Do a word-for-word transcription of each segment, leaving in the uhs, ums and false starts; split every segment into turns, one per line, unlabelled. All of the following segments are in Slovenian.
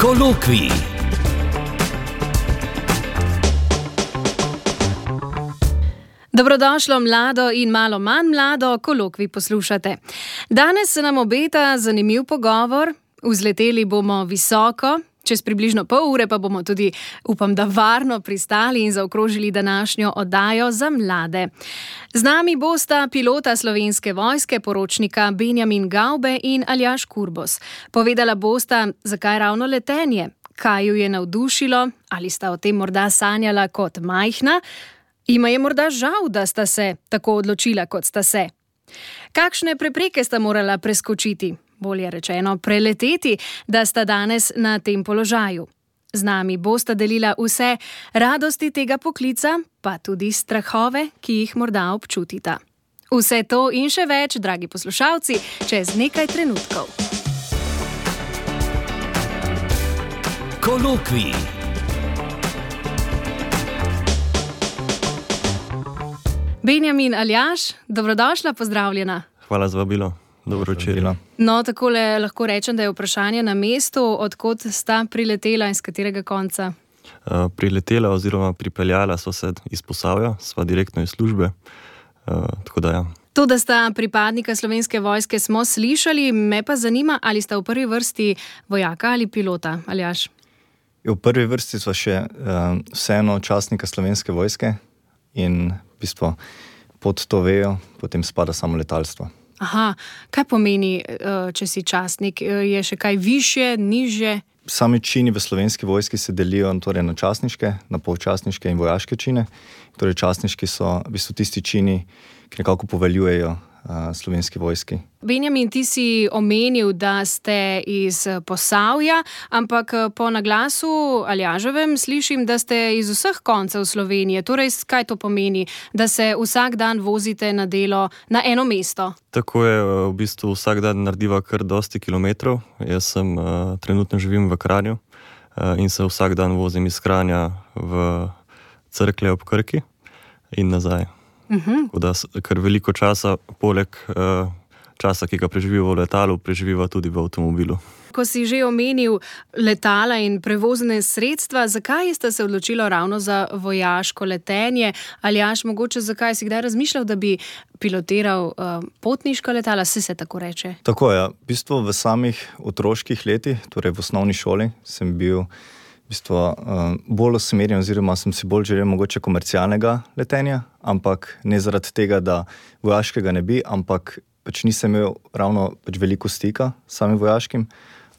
Kolokvij.
Dobrodošlo mlado in malo manj mlado, kolokvij poslušate. Danes se nam obeta zanimiv pogovor, vzleteli bomo visoko, čez približno pol ure pa bomo tudi, upam, da varno pristali in zaokrožili današnjo oddajo za mlade. Z nami bosta pilota Slovenske vojske, poročnika Benjamin Gaube in Aljaž Kurbos. Povedala bosta, zakaj ravno letenje, kaj ju je navdušilo, ali sta o tem morda sanjala kot majhna, ima je morda žal, da sta se tako odločila, kot sta se. Kakšne prepreke sta morala preskočiti, bolje rečeno preleteti, da sta danes na tem položaju? Z nami bosta delila vse radosti tega poklica, pa tudi strahove, ki jih morda občutita. Vse to in še več, dragi poslušalci, čez nekaj trenutkov.
Kolokvij.
Benjamin, Aljaž, dobrodošla, pozdravljena.
Hvala za vabilo. Dobro večer.
No, takole lahko rečem, da je vprašanje na mestu, odkot sta priletela in z katerega konca?
Uh, priletela oziroma pripeljala so se iz Posavja, sva direktno iz službe. Uh, tako da ja.
To, da sta pripadnika Slovenske vojske, smo slišali, me pa zanima, ali sta v prvi vrsti vojaka ali pilota, Aljaž?
V prvi vrsti sva še uh, vseeno častnika Slovenske vojske in v bistvu pod to vejo potem spada samo letalstvo.
Aha, kaj pomeni, če si častnik? Je še kaj višje, nižje?
Sami čini v Slovenski vojski se delijo torej na častniške, na polčastniške in vojaške čine. Torej častniški so v bistvu tisti čini, ki nekako poveljujejo uh, Slovenski vojski.
Benjamin, ti si omenil, da ste iz Posavja, ampak po naglasu Aljaževem slišim, da ste iz vseh koncev Slovenije. Torej, kaj to pomeni, da se vsak dan vozite na delo na eno mesto?
Tako je, v bistvu vsak dan narediva kar dosti kilometrov. Jaz sem uh, trenutno živim v Kranju uh, in se vsak dan vozim iz Kranja v Cerklje ob Krki in nazaj. Uh-huh. Da, ker veliko časa, poleg uh, časa, ki ga preživiva v letalu, preživiva tudi v avtomobilu.
Ko si že omenil letala in prevozne sredstva, zakaj ste se odločili ravno za vojaško letenje? Aljaž, mogoče zakaj si kdaj razmišljal, da bi pilotiral uh, potniška letala, se se tako reče?
Tako je, v bistvu v samih otroških letih, torej v osnovni šoli, sem bil v bistvu uh, bolj usmerjen oziroma sem si bolj želel mogoče komercialnega letenja, ampak ne zaradi tega, da vojaškega ne bi, ampak pač nisem imel ravno pač veliko stika s samim vojaškim,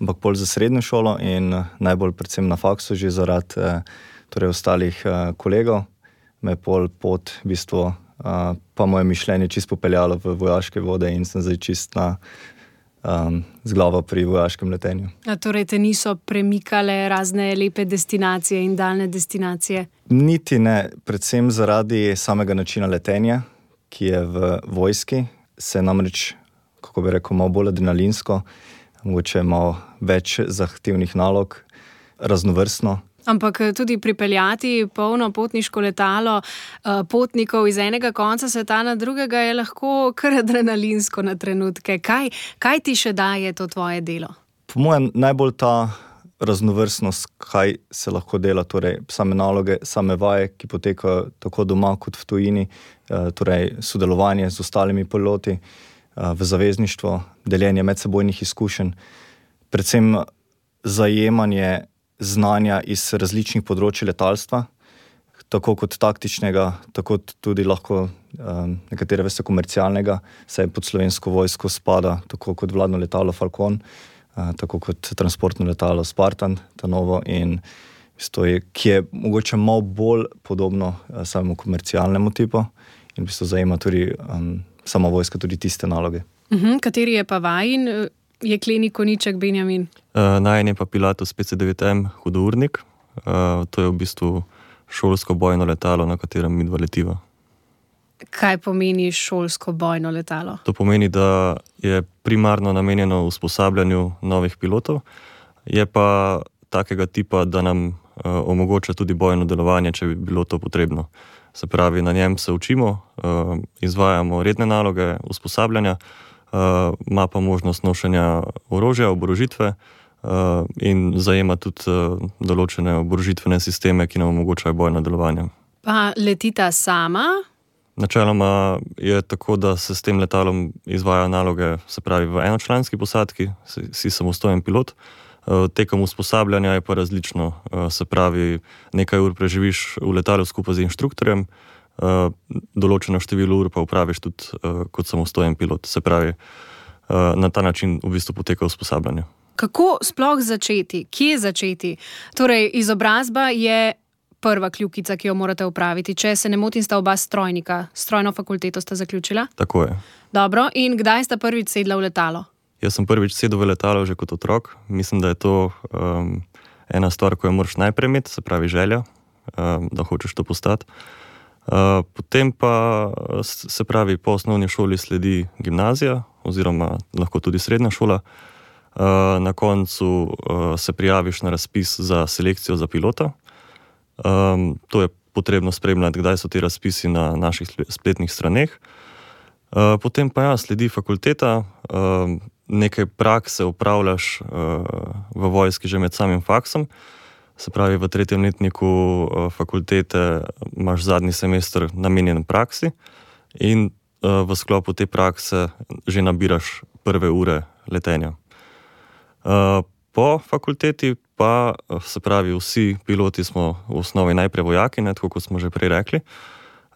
ampak bolj za srednjo šolo in najbolj predvsem na faksu že zaradi eh, torej ostalih eh, kolegov, me pol pot v bistvu eh, pa moje mišljenje čisto popeljalo v vojaške vode in sem zdaj čist na um, z glavo pri vojaškem letenju.
A torej te niso premikale razne lepe destinacije in daljne destinacije?
Niti ne, predvsem zaradi samega načina letenja, ki je v vojski, se namreč, kako bi rekel, malo bolj adrenalinsko, mogoče malo več zahtevnih nalog, raznovrstno.
Ampak tudi pripeljati polno potniško letalo potnikov iz enega konca sveta na drugega je lahko kar adrenalinsko na trenutke. Kaj, kaj ti še daje to tvoje delo?
Po mojem najbolj ta raznovrstnost, kaj se lahko dela, torej same naloge, same vaje, ki potekajo tako doma kot v tujini, torej sodelovanje z ostalimi piloti v zavezništvo, deljenje medsebojnih izkušenj, predvsem zajemanje znanja iz različnih področij letalstva, tako kot taktičnega, tako tudi lahko um, nekatere veste komercialnega, saj pod Slovensko vojsko spada tako kot vladno letalo Falcon, uh, tako kot transportno letalo Spartan, ta novo, in je, ki je mogoče malo bolj podobno uh, samemu komercialnemu tipu in v bistvu zajema tudi um, sama vojska tudi tiste naloge.
Uh-huh. Kateri je pa vajin jekleni koniček, Benjamin?
Uh, Najen je pa Pilatus P C devet M hudournik. Uh, to je v bistvu šolsko bojno letalo, na katerem midva letiva.
Kaj pomeni šolsko bojno letalo?
To pomeni, da je primarno namenjeno usposabljanju novih pilotov, je pa takega tipa, da nam uh, omogoča tudi bojno delovanje, če bi bilo to potrebno. Se pravi, na njem se učimo, uh, izvajamo redne naloge usposabljanja, uh, ima pa možnost nošenja orožja, oborožitve, uh, in zajema tudi uh, določene oborožitvene sisteme, ki nam omogočajo bojno delovanje.
Pa letita sama?
Načeloma je tako, da se s tem letalom izvajajo naloge, se pravi v enočlanski posadki, si, si samostojen pilot. Tekom usposabljanja je pa različno, se pravi, nekaj ur preživiš v letalu skupaj z inštruktorjem, določeno število ur pa upraviš tudi kot samostojen pilot. Se pravi, na ta način v bistvu poteka usposabljanje.
Kako sploh začeti? Kje začeti? Torej, izobrazba je prva kljukica, ki jo morate upraviti. Če se ne motim, sta oba strojnika. Strojno fakulteto sta zaključila?
Tako je.
Dobro, in kdaj sta prvič sedla v letalo?
Jaz sem prvič sedel v letalo že kot otrok. Mislim, da je to um, ena stvar, ko jo moraš najprej imeti, se pravi želja, um, da hočeš to postati. Uh, potem pa, se pravi, po osnovni šoli sledi gimnazija oziroma lahko tudi srednja šola. Uh, na koncu uh, se prijaviš na razpis za selekcijo za pilota. Um, to je potrebno spremljati, kdaj so ti razpisi na naših spletnih straneh. Uh, potem pa ja, sledi fakulteta, uh, nekaj prakse upravljaš uh, v vojski že med samim faksom. Se pravi, v tretjem letniku uh, fakultete imaš zadnji semester namenjen praksi in uh, v sklopu te prakse že nabiraš prve ure letenja. Uh, po fakulteti pa, se pravi, vsi piloti smo v osnovi najprej vojaki, ne, tako kot smo že prej rekli.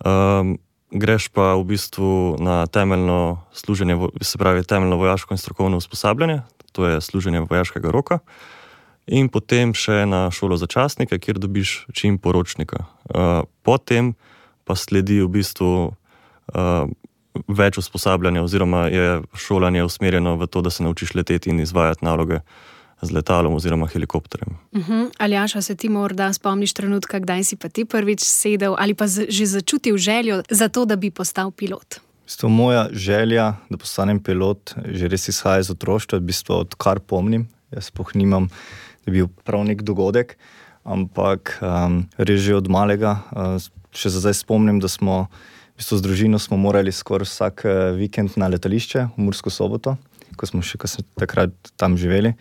Um, greš pa v bistvu na temeljno služenje, se pravi, temeljno vojaško in strokovno usposabljanje, to je služenje vojaškega roka, in potem še na šolo za častnike, kjer dobiš čin poročnika. Uh, potem pa sledi v bistvu uh, več usposabljanja oziroma je šolanje usmerjeno v to, da se naučiš leteti in izvajati naloge z letalom oziroma helikopterjem.
Uh-huh. Aljaša, se ti morda spomniš trenutka, kdaj si pa ti prvič sedel ali pa z, že začutil željo za to, da bi postal pilot?
V bistvu moja želja, da postanem pilot, že res izhaja iz otroštva, v bistvu odkar pomnim. Jaz sploh nimam, da bi bil prav nek dogodek, ampak um, res že od malega. Uh, še zdaj spomnim, da smo v bistvu z družino smo morali skoraj vsak vikend na letališče v Mursko Soboto, ko smo še kasneje takrat tam živeli.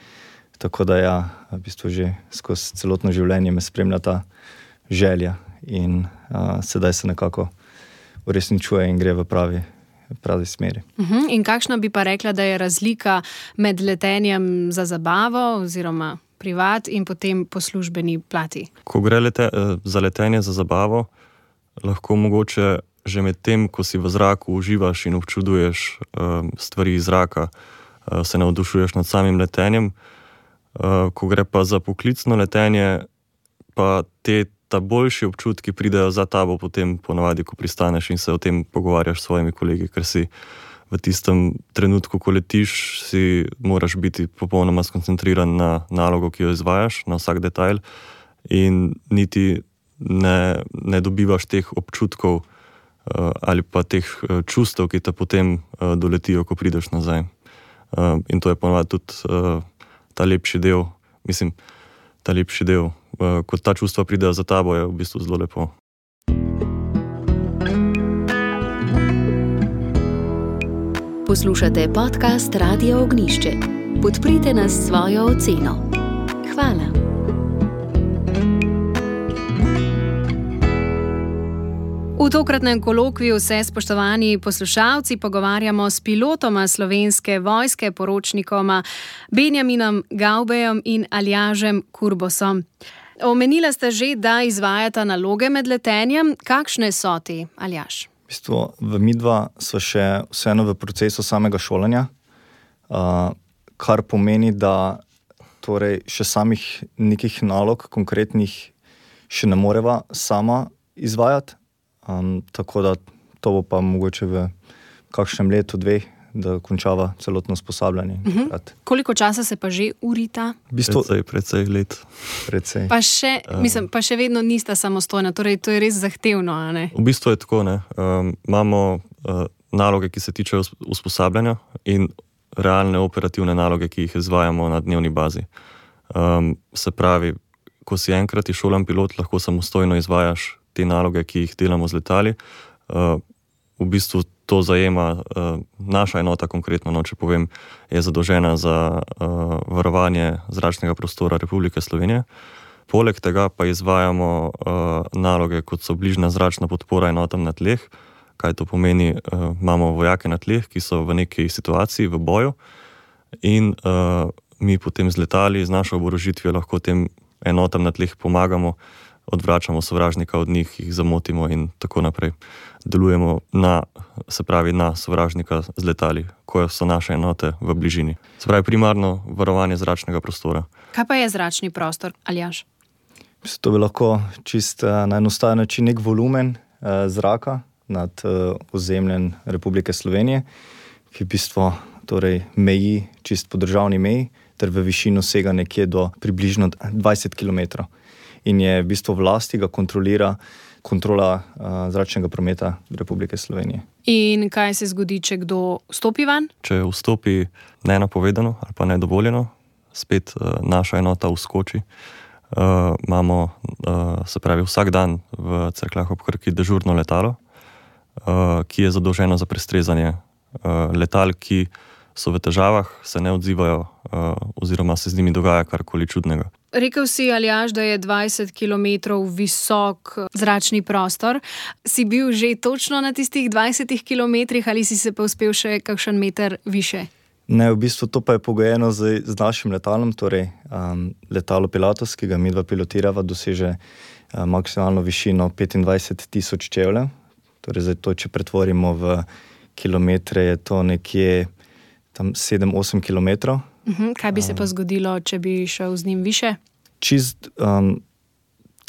Tako da ja, v bistvu že skozi celotno življenje me spremlja ta želja in a, sedaj se nekako uresničuje in gre v pravi, pravi smeri.
Uh-huh. In kakšna bi pa rekla, da je razlika med letenjem za zabavo oziroma privat in potem po službeni plati? Ko
gre lete, za letenje za zabavo, lahko mogoče že med tem, ko si v zraku uživaš in občuduješ um, stvari iz zraka, uh, se navdušuješ nad samim letenjem. Uh, ko gre pa za poklicno letenje, pa te ta boljši občutki pridejo za tabo potem ponavadi, ko pristaneš in se o tem pogovarjaš s svojimi kolegi, ker si v tistem trenutku, ko letiš, si moraš biti popolnoma skoncentriran na nalogo, ki jo izvajaš, na vsak detajl in niti ne, ne dobivaš teh občutkov uh, ali pa teh uh, čustev, ki te potem uh, doletijo, ko prideš nazaj. Uh, in to je ponavadi tudi uh, ta lepši del, mislim, ta lepši del, ko ta čustva pridejo za tabo, je v bistvu zelo lepo.
Poslušate podcast Radio Ognjišče. Podprite nas s svojo oceno. Hvala.
V tokratnem kolokviju se, spoštovani poslušalci, pogovarjamo s pilotoma Slovenske vojske, poročnikoma Benjaminom Gavbejem in Aljažem Kurbosom. Omenila ste že, da izvajata naloge med letenjem. Kakšne so te, Aljaž?
V bistvu, v midva so še vseeno v procesu samega šolanja, uh, kar pomeni, da torej še samih nekih nalog konkretnih še ne moreva sama izvajati. Um, tako da to bo pa mogoče v kakšnem letu, dveh, da končava celotno usposabljanje.
Uh-huh. Koliko časa se pa že urita?
V bistvu,
precej, precej let.
Precej.
Pa še, um, mislim, pa še vedno nista samostojna, torej to je res zahtevno, a ne?
V bistvu je tako, ne. Um, imamo uh, naloge, ki se tičejo usposabljanja in realne operativne naloge, ki jih izvajamo na dnevni bazi. Um, se pravi, ko si enkrat izšolan pilot, lahko samostojno izvajaš te naloge, ki jih delamo z letali. Uh, v bistvu to zajema uh, naša enota, konkretno, no, če povem, je zadolžena za uh, varovanje zračnega prostora Republike Slovenije. Poleg tega pa izvajamo uh, naloge, kot so bližnja zračna podpora enotam na tleh. Kaj to pomeni? Uh, imamo vojake na tleh, ki so v neki situaciji, v boju, in uh, mi potem z letali, z našo oborožitvijo lahko tem enotam na tleh pomagamo, odvračamo sovražnika od njih, jih zamotimo in tako naprej. Delujemo na, se pravi, na sovražnika z letali, ko so naše enote v bližini. Se pravi, primarno varovanje zračnega prostora.
Kaj pa je zračni prostor, Aljaž?
To bi lahko čist na enostaven način nek volumen eh, zraka nad eh, ozemljem Republike Slovenije, ki v bistvu torej, meji čist po državni meji, ter v višino sega nekje do približno dvajset kilometrov. In je v bistvu v lasti ga kontrolira kontrola uh, zračnega prometa Republike Slovenije.
In kaj se zgodi, če kdo vstopi van?
Če vstopi nenapovedano ali pa nedovoljeno, spet uh, naša enota vskoči. Uh, imamo, uh, se pravi, vsak dan v Cerkljah ob Krki dežurno letalo, uh, ki je zadolženo za prestrezanje uh, letal, ki so v težavah, se ne odzivajo uh, oziroma se z njimi dogaja karkoli čudnega.
Rekel si, Aljaž, da je dvajset kilometrov visok zračni prostor. Si bil že točno na tistih dvajsetih kilometrih ali si se pa uspel še kakšen meter više?
Ne, v bistvu to pa je pogojeno z, z našim letalom, torej um, letalo Pilatus, ki ga mi dva pilotirava, doseže uh, maksimalno višino petindvajset tisoč čevljev. Torej, zdaj to, če pretvorimo v kilometre, je to nekje tam sedem osem kilometrov.
Uhum, kaj bi se pa zgodilo, če bi šel z njim više?
Čist um,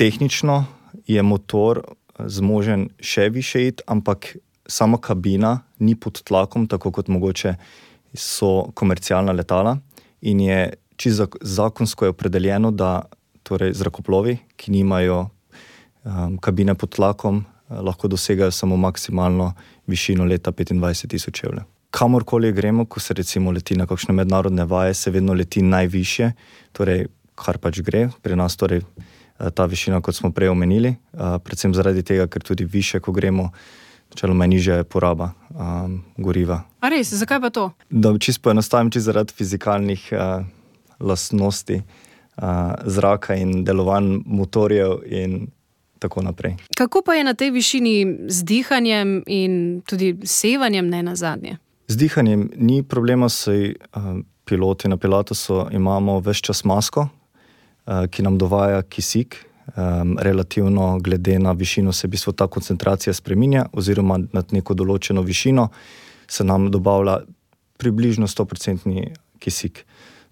tehnično je motor zmožen še više iti, ampak sama kabina ni pod tlakom, tako kot mogoče so komercialna letala, in je čist zakonsko je opredeljeno, da torej zrakoplovi, ki nimajo um, kabine pod tlakom, lahko dosegajo samo maksimalno višino leta petindvajset tisoč čevljev. Kamorkoli gremo, ko se recimo leti na kakšne mednarodne vaje, se vedno leti najvišje, torej kar pač gre. Pri nas torej ta višina, kot smo prej omenili, predvsem zaradi tega, ker tudi više, ko gremo, načeloma nižja je poraba um, goriva.
A res, zakaj pa to?
Da čisto poenostavim, čisto zaradi fizikalnih uh, lastnosti uh, zraka in delovanj motorjev in tako naprej.
Kako pa je na tej višini z dihanjem in tudi sevanjem, ne nazadnje?
Z dihanjem ni problema, saj uh, piloti na Pilatusu imamo ves čas masko, uh, ki nam dovaja kisik. Um, relativno glede na višino se v bistvu ta koncentracija spreminja, oziroma nad neko določeno višino se nam dobavlja približno sto procentov kisik.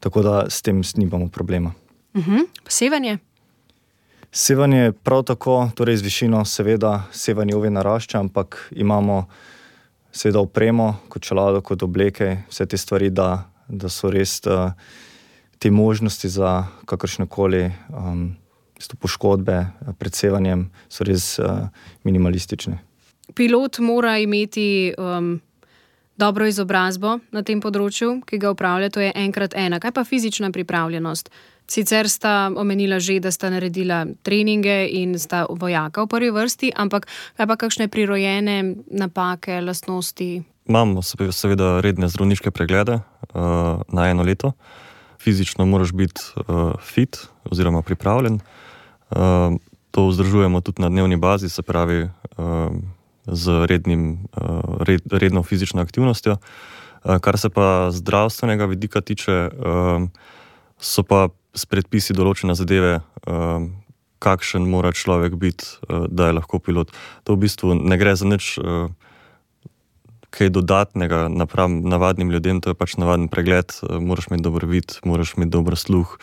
Tako da s tem nimamo problema.
Uh-huh. Sevanje?
Sevanje prav tako, torej z višino seveda sevanje ove narašča, ampak imamo seveda opremo, kot čelado, kot obleke, vse te stvari, da, da so res uh, te možnosti za kakršnekoli um, poškodbe pred sevanjem so res uh, minimalistične.
Pilot mora imeti um, dobro izobrazbo na tem področju, ki ga upravlja, to je enkrat ena. Kaj pa fizična pripravljenost? Sicer sta omenila že, da sta naredila treninge in sta vojaka v prvi vrsti, ampak kaj pa kakšne prirojene napake, lastnosti?
Imamo seveda redne zdravniške preglede uh, na eno leto. Fizično moraš biti uh, fit oziroma pripravljen. Uh, to vzdržujemo tudi na dnevni bazi, se pravi uh, z rednim, uh, red, redno fizično aktivnostjo. Uh, kar se pa zdravstvenega vidika tiče, uh, so pa s predpisi določene zadeve, uh, kakšen mora človek biti, uh, da je lahko pilot. To v bistvu ne gre za nič uh, kaj dodatnega napram navadnim ljudem, to je pač navaden pregled, uh, moraš imeti dober vid, moraš imeti dober sluh,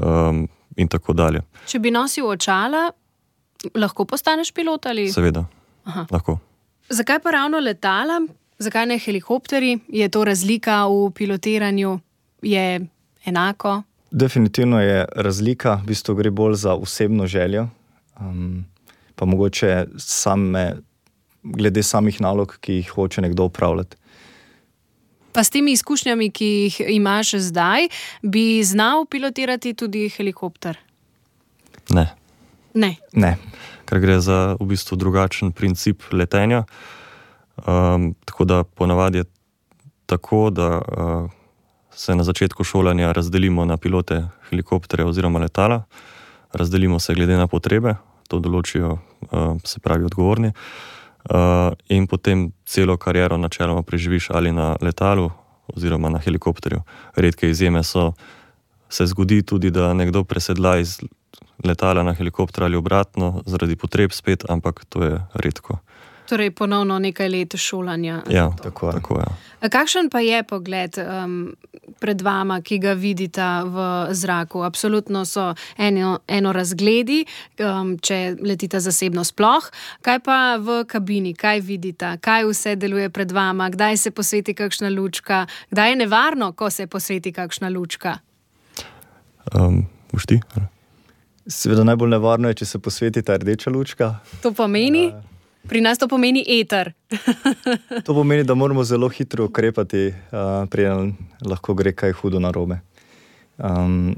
um, in tako dalje.
Če bi nosil očala, lahko postaneš pilot ali?
Seveda,
Aha.
lahko.
Zakaj pa ravno letala? Zakaj ne helikopteri? Je to razlika v pilotiranju? Je enako?
Definitivno je razlika, v bistvu gre bolj za osebno željo, um, pa mogoče same, glede samih nalog, ki jih hoče nekdo upravljati.
Pa s temi izkušnjami, ki jih imaš zdaj, bi znal pilotirati tudi helikopter?
Ne.
Ne.
Ne.
Ker gre za v bistvu drugačen princip letenja. Um, tako da ponavadi je tako, da uh, se na začetku šolanja razdelimo na pilote helikopterja oziroma letala, razdelimo se glede na potrebe, to določijo uh, se pravi odgovorni, uh, in potem celo kariero načeloma preživiš ali na letalu oziroma na helikopterju. Redke izjeme so, se zgodi tudi, da nekdo presedla iz letala na helikopter ali obratno zaradi potreb spet, ampak to je redko.
Torej ponovno nekaj let šolanja.
Ja, tako, tako je.
Kakšen pa je pogled um, pred vama, ki ga vidita v zraku? Absolutno so eno, eno razgledi, um, če letita zasebno sploh. Kaj pa v kabini? Kaj vidita? Kaj vse deluje pred vama? Kdaj se posveti kakšna lučka? Kdaj je nevarno, ko se posveti kakšna lučka?
Um, boš ti?
Seveda najbolj nevarno je, če se posveti ta rdeča lučka.
To pomeni? Uh, Pri nas to pomeni eter.
To pomeni, da moramo zelo hitro ukrepati, uh, preden lahko gre kaj hudo narobe. Um,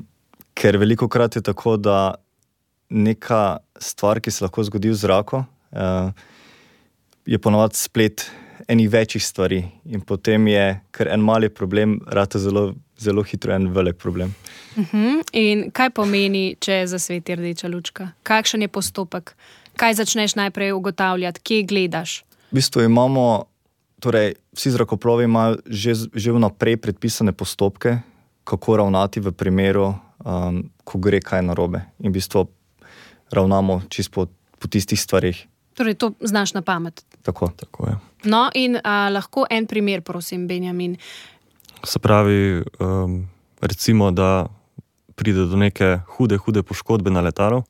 ker veliko krat je tako, da neka stvar, ki se lahko zgodi v zraku, uh, je ponovadi splet enih večjih stvari. In potem je, ker en mali problem, rata zelo, zelo hitro en velik problem.
Uh-huh. In kaj pomeni, če zasveti rdeča lučka? Kakšen je postopek? Kaj začneš najprej ugotavljati? Kje gledaš?
V bistvu imamo, torej vsi zrakoplovi imajo že, že vnaprej predpisane postopke, kako ravnati v primeru, um, ko gre kaj narobe. In v bistvu ravnamo čisto po, po tistih stvarih.
Torej to znaš na pamet?
Tako.
Tako je.
No in a, lahko en primer, prosim, Benjamin.
Se pravi, um, recimo, da pride do neke hude, hude poškodbe na letalu,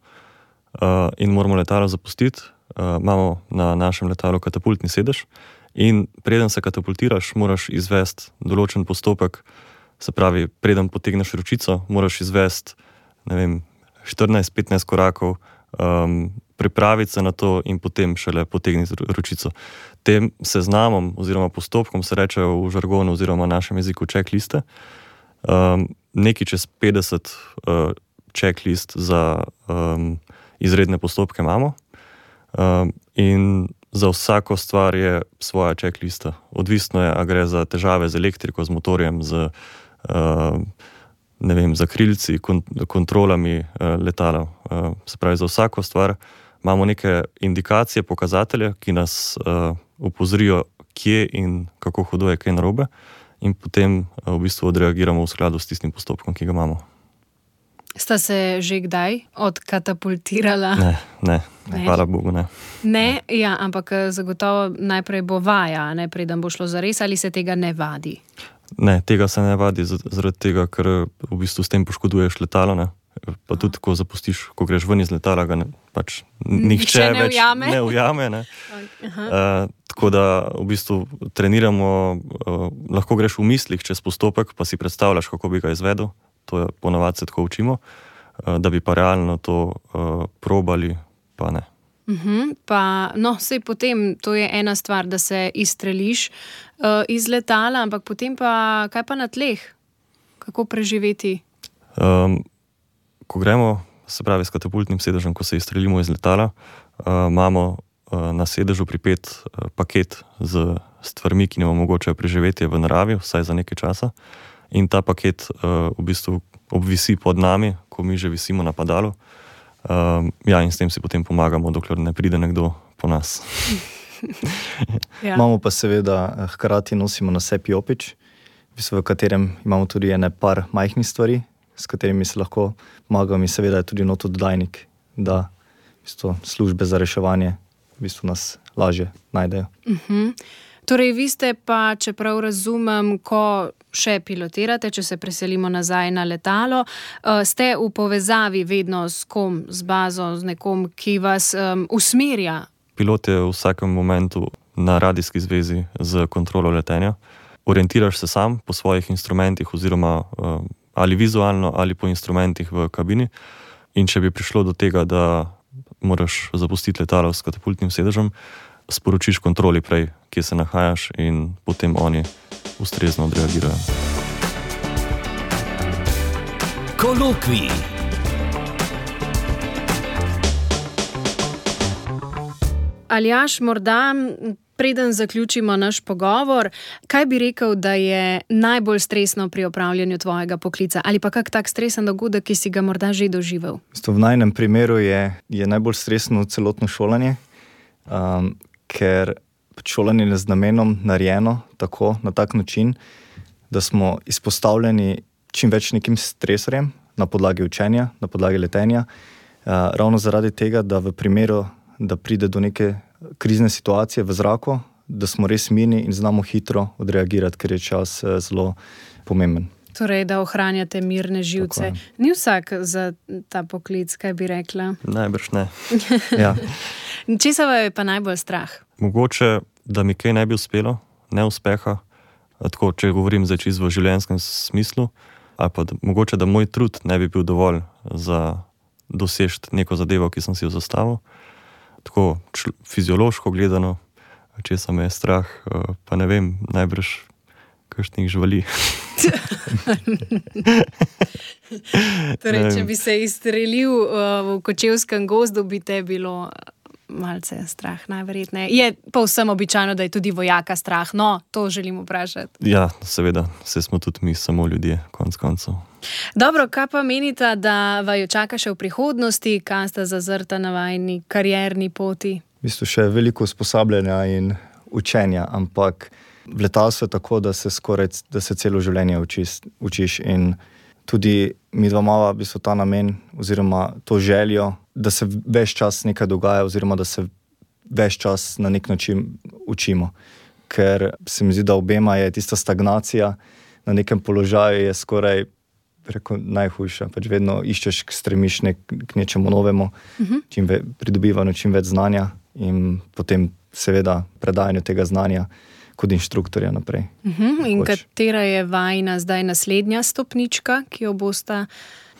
Uh, in moramo letalo zapustiti, uh, imamo na našem letalu katapultni sedež in preden se katapultiraš, moraš izvesti določen postopek, se pravi, preden potegneš ročico, moraš izvesti, ne vem, štirinajst petnajst korakov, um, pripraviti se na to in potem šele potegniti ročico. Tem seznamom oziroma postopkom se rečejo v žargonu oziroma v našem jeziku checkliste. Um, nekaj čez petdeset uh, checklist za um, izredne postopke imamo um, in za vsako stvar je svoja checklista. Odvisno je, a gre za težave z elektriko, z motorjem, z uh, ne vem, za krilci, kont kontrolami uh, letala. Uh, se pravi, za vsako stvar imamo neke indikacije, pokazatelje, ki nas uh, upozorijo, kje in kako hudo je kaj narobe in potem uh, v bistvu odreagiramo v skladu s tistim postopkom, ki ga imamo.
Sta se že kdaj odkatapultirala?
Ne, ne, ne. Hvala Bogu, ne.
Ne, ja, ampak zagotovo najprej bo vaja, ne, preden bo šlo zares, ali se tega ne vadi?
Ne, tega se ne vadi zaradi tega, ker v bistvu s tem poškoduješ letalo, ne. Pa tudi, ko zapustiš, ko greš ven iz letala, ga ne, pač nihče
ne
več
ujame.
ne ujame, ne. Uh, tako da v bistvu treniramo, uh, lahko greš v mislih čez postopek, pa si predstavljaš, kako bi ga izvedel. To je ponovadi se tako učimo, da bi pa realno to uh, probali, pa ne.
Uh-huh. Pa, no, sej potem, to je ena stvar, da se izstreliš uh, iz letala, ampak potem pa, kaj pa na tleh? Kako preživeti?
Um, ko gremo, se pravi s katapultnim sedežem, ko se izstrelimo iz letala, uh, imamo uh, na sedežu pripet uh, paket z stvarmi, ki nam omogočajo preživetje v naravi, vsaj za nekaj časa. In ta paket uh, v bistvu obvisi pod nami, ko mi že visimo na padalu. Um, ja, in s tem si potem pomagamo, dokler ne pride nekdo po nas.
Ja.
Imamo pa seveda, hkrati nosimo na sebi jopič, v bistvu, v katerem imamo tudi ene par majhnih stvari, s katerimi se lahko pomagamo in seveda je tudi notododajnik, da v bistvu, službe za reševanje v bistvu nas lažje najdejo.
Uh-huh. Torej, vi ste pa, čeprav razumem, ko še pilotirate, če se preselimo nazaj na letalo, ste v povezavi vedno s kom, z bazo, z nekom, ki vas um, usmerja?
Pilot je v vsakem momentu na radijski zvezi z kontrolo letenja. Orientiraš se sam po svojih instrumentih oziroma um, ali vizualno ali po instrumentih v kabini in če bi prišlo do tega, da moraš zapustiti letalo s katapultnim sedežem, sporočiš kontroli prej, kje se nahajaš in potem oni ustrezno odreagirajo.
Kolokvij.
Aljaž, morda Preden zaključimo naš pogovor, kaj bi rekel, da je najbolj stresno pri opravljanju tvojega poklica? Ali pa kak tak stresen dogodek, ki si ga morda že doživel?
V najnem primeru je, je najbolj stresno celotno šolanje, um, ker šolanje je z namenom narejeno tako, na tak način, da smo izpostavljeni čim več nekim stresorjem na podlagi učenja, na podlagi letenja. Uh, ravno zaradi tega, da v primeru, da pride do neke krizne situacije v zraku, da smo res mirni in znamo hitro odreagirati, ker je čas zelo pomemben.
Torej, da ohranjate mirne živce. Ni vsak za ta poklic, kaj bi rekla?
Najbrž ne.
Ja.
Česa je pa najbolj strah?
Mogoče, da mi kaj ne bi uspelo, neuspeha, tako, če govorim zdaj čisto v življenjskem smislu, ali pa da, mogoče, da moj trud ne bi bil dovolj za doseči neko zadevo, ki sem si jo zastavil. Tako čl- fiziološko gledano, česa me je strah, pa ne vem, najbrž kakšnih živali.
Torej, če bi se izstrelil v Kočevskem gozdu, bi te bilo malce strah, najverjetneje. Je povsem običajno, da je tudi vojaka strah, no, to želim vprašati.
Ja, seveda, vse smo tudi mi samo ljudje, konc koncev.
Dobro, kaj pa menite, da vaju čaka še v prihodnosti, kaj sta zazrta na vajni karierni poti?
V bistvu še veliko usposabljanja in učenja, ampak v letalstvu je tako, da se skoraj da se celo življenje učiš, učiš in tudi mi dva mava v bistvu ta namen oziroma to željo, da se ves čas nekaj dogaja oziroma da se ves čas na nek način učimo. Ker se mi zdi, da obema je tista stagnacija na nekem položaju je skoraj preko najhujša. Pač vedno iščeš, stremiš nek, k nečemu novemu, uh-huh. čim ve, pridobivanju čim več znanja in potem seveda predajanju tega znanja kot inštruktorja naprej.
Uh-huh. In Hoč. Katera je vajna zdaj naslednja stopnička, ki jo bosta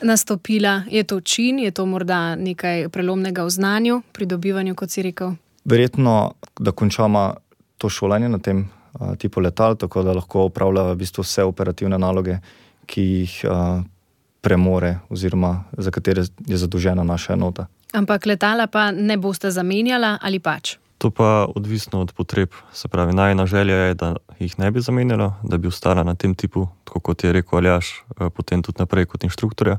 nastopila? Je to čin, je to morda nekaj prelomnega v znanju, pridobivanju, kot si rekel?
Verjetno, da končamo to šolanje na tem uh, tipu letal, tako da lahko opravlja v bistvu vse operativne naloge, ki jih uh, premore oziroma za katere je zadolžena naša enota.
Ampak letala pa ne boste zamenjala ali pač?
To pa odvisno od potreb. Se pravi, najna želja je, da jih ne bi zamenjala, da bi ostala na tem tipu, tako kot je rekel Aljaž, potem tudi naprej kot inštruktorja.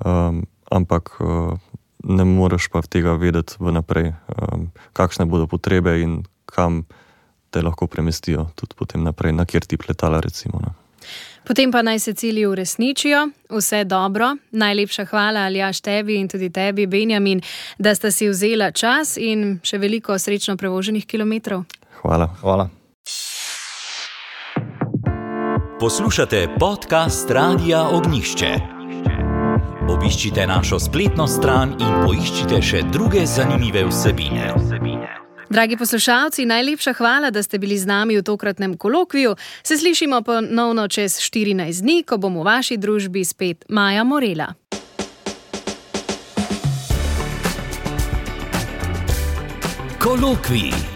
Um, ampak uh, ne moreš pa tega vedeti vnaprej, um, kakšne bodo potrebe in kam te lahko premestijo tudi potem naprej, na kjer tip letala recimo. Ne.
Potem pa naj se cilji uresničijo, vse dobro. Najlepša hvala, Aljaž, tebi in tudi tebi, Benjamin, da sta si vzela čas in še veliko srečno prevoženih kilometrov.
Hvala.
Hvala.
Poslušate podcast Radia Ognjišče. Obiščite našo spletno stran in poiščite še druge zanimive vsebine.
Dragi poslušalci, najlepša hvala, da ste bili z nami v tokratnem kolokviju. Se slišimo ponovno čez štirinajst dni, ko bom v vaši družbi spet Maja Morela.
Kolokvij.